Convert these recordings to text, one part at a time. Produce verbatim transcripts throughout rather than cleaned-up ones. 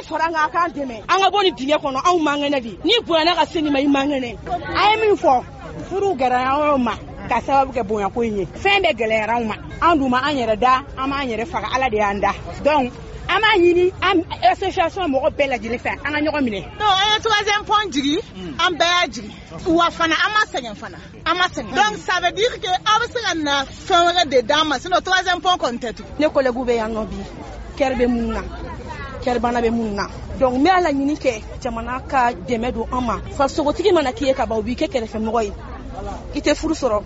ye fara an kan, a k'an dɛmɛ, an ka bɔ nin dingɛ kɔnɔ. Anw man kɛnɛ de, n'i bonyana ka se nin ma, i man kɛnɛ. A ye min fɔ, furu gɛlɛyara anw ma ka sababu kɛ bonyako in ye. Fɛn bɛɛ gɛlɛyara anw ma. An dun ma an yɛrɛ da, an m'an yɛrɛ faga, Ala de y'an da. Donc an b'a ɲini an association mɔgɔ bɛɛ lajɛlen fɛ, an ka ɲɔgɔn minɛ. Non, an ye troisième pont jigin, an bɛɛ y'a jigin wa fana, an ma sɛgɛn fana, an ma sɛgɛn. Donc ça veut dire que aw bɛ se ka na fɛn wɛrɛ de d'an ma, sinon troisième pont kɔni tɛ tugun. Ne collègue bɛ yan nɔ bi, cœur bɛ minnu na, cœur bana bɛ minnu na. Donc n bɛ ala ɲini kɛ jamana ka dɛmɛ don an ma. Farisogotigi mana k'i ye ka ban, o b'i kɛ kɛrɛfɛmɔgɔ ye. I tɛ furu sɔrɔ,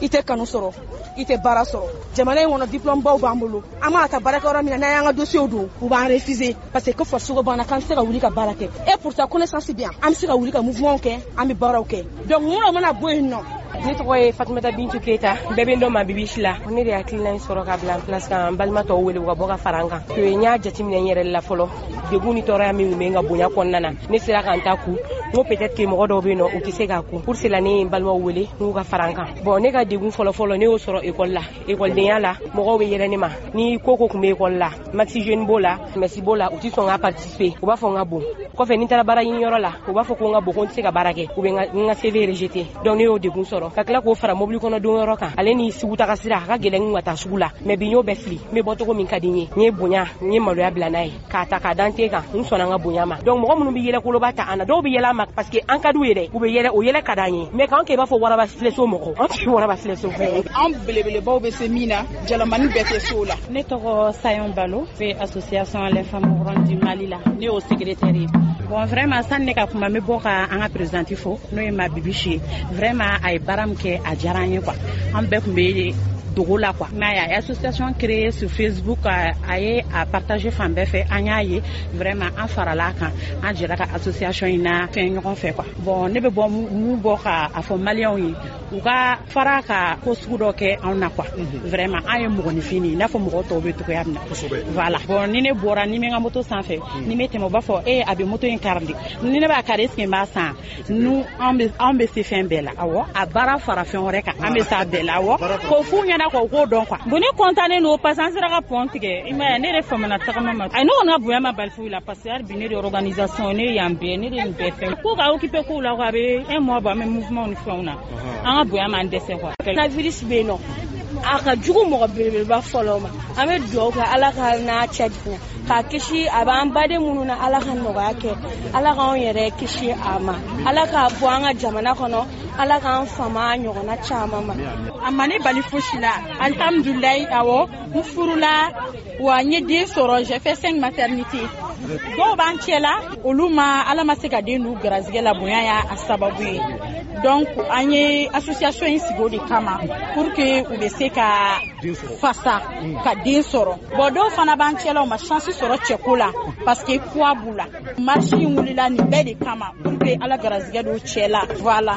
i tɛ kanu sɔrɔ, i tɛ baara sɔrɔ jamana in kɔnɔ. Diplôme baw b'an bolo, an mana taa baarakɛyɔrɔ min na, n'an y'an ka dossier don, u b'an refuser parce que ko farisogo banna, k'an tɛ se ka wuli ka baara kɛ. Et pourtant connaissance bɛ yan, an bɛ se ka wuli ka mouvement kɛ, an bɛ baaraw kɛ. Donc mun mana bɔ yen nɔ? Ne tɔgɔ ye Fatumata Bintu Keyita, bɛɛ bɛ n dɔn ma Bibi la. Ne de hakilina in sɔrɔ ka bila en place ka n balima tɔw wele u ka bɔ ka fara an kan. N y'a jateminɛ n yɛrɛ la fɔlɔ, degun ni tɔɔrɔya min tun bɛ n ka bonya kɔnɔna na, ne sera ka n ta ku. N ko peut-être que mɔgɔ dɔw bɛ yen nɔ, u tɛ se k'a ku. Pour cela, ne ye n balimaw wele n k'u ka fara an kan. Bon, ne ka degun fɔlɔ fɔlɔ, ne y'o sɔrɔ école la, écoledenya la. Mɔgɔw bɛ yɛlɛ ne ma ni ko ko tun bɛ école la, Maxi Jeune b'o la, Messi b'o la, u tɛ sɔn ka participer, u b'a fɔ n ka bon. Kɔfɛ, ni n taara baara ɲiniyɔrɔ la, u b'a fɔ ko n ka bon, ko n tɛ se ka baara kɛ, u bɛ n ka C V rejeter. Donc ne y'o degun sɔrɔ, ka tila k'o fara mobili kɔnɔ don yɔrɔ kan, ale ni sugu taga sira a ka gɛlɛn n ka taa sugu la. Mais bi, n y'o bɛɛ fili, n bɛ bɔ cogo min ka di n ye. N ye bonya, n ye maloya bila n'a ye k'a ta k'a da n ten kan. N sɔnna n ka bonya ma. Donc mɔgɔ minnu bɛ yɛlɛ koloba ta an na, dɔw bɛ yɛlɛ an ma parce que an ka d'u ye dɛ, u bɛ yɛlɛ, o yɛlɛ ka d'an ye. Mais k'an kɛ i b'a fɔ waraba filɛso mɔgɔ, an tɛ waraba filɛso fɛ. An belebelebaw bɛ se min na, jalamani bɛɛ tɛ so la. Ne tɔgɔ Sayon Balo, bɛ association Les Femmes Rondes du Mali la, ne y'o secrétaire ye. Bon, vraiment, sani ne ka kuma, n bɛ bɔ ka an ka présidente fo, n'o ye ma Bibiche ye. Vraiment, a ye baara min kɛ, a diyara an ye quoi. An bɛɛ tun bɛ dogo la quoi, mais a ye association créée sur Facebook, a ye a partager fan bɛɛ fɛ, an y'a ye. Vraiment, an farala a kan, an jɛra ka association in na fɛn ɲɔgɔn fɛ quoi. Bon, ne bɛ bɔ mun bɔ ka a fɔ maliyɛnw ye, u ka fara ka ko sugu dɔ kɛ anw na quoi. Vraiment, an ye mɔgɔninfin de ye i n'a fɔ mɔgɔ tɔw bɛ togoya min na. Voilà. Bon, ni ne bɔra, ni n bɛ n ka moto sanfɛ, ni n bɛ tɛmɛ, u b'a fɔ e a bɛ moto in kari de. Ni ne b'a kari, est ce que n b'a san? Nu anw bɛ, anw bɛ se fɛn bɛɛ la. Awɔ, a baara fara fɛn wɛrɛ kan, an bɛ s'a bɛɛ la. Awɔ, k'o f'u ɲɛna quoi, u k'o dɔn quoi. Bon, ne content don parce que an sera ka pont tigɛ. I m'a ye, ne yɛrɛ famana tagama ma. Ayi, ne kɔni ka bonya ma bali foyi la parce que hali bi ne de organisation, ne ye yan bɛɛ, ne de nin bɛɛ fɛn ko ka occuper kow la quoi. A bɛ un mois bɔ, an bɛ mouvement ni fɛnw na, an ka bonya m'an dɛsɛ quoi. Coronavirus bɛ yen nɔ, a ka jugu mɔgɔ belebeleba fɔlɔ ma. An bɛ dugawu kɛ, Ala ka n'a cɛ janya k'a kisi. A b'an baden minnu na, Ala ka nɔgɔya kɛ, Ala k'anw yɛrɛ kisi a ma, Ala k'a bɔ an ka jamana kɔnɔ, Ala k'an fama a ɲɔgɔnna caman ma. A ma ne bali fosi la, alihamudulilayi. Awɔ, n furula wa, n ye den sɔrɔ, j'ai fait cinq maternités. Dɔw b'an cɛ la, olu ma, Ala ma se ka den d'u garizigɛ la, bonya y'a sababu ye. Donc an ye association in sigi o de kama pour que u bɛ se ka fasa ka den sɔrɔ. Bon, dɔw fana b'an cɛ la, u ma chance sɔrɔ cɛko la parce que poids b'u la. Marche in wulila nin bɛɛ de kama pour que Ala garizigɛ don cɛ la. Voilà.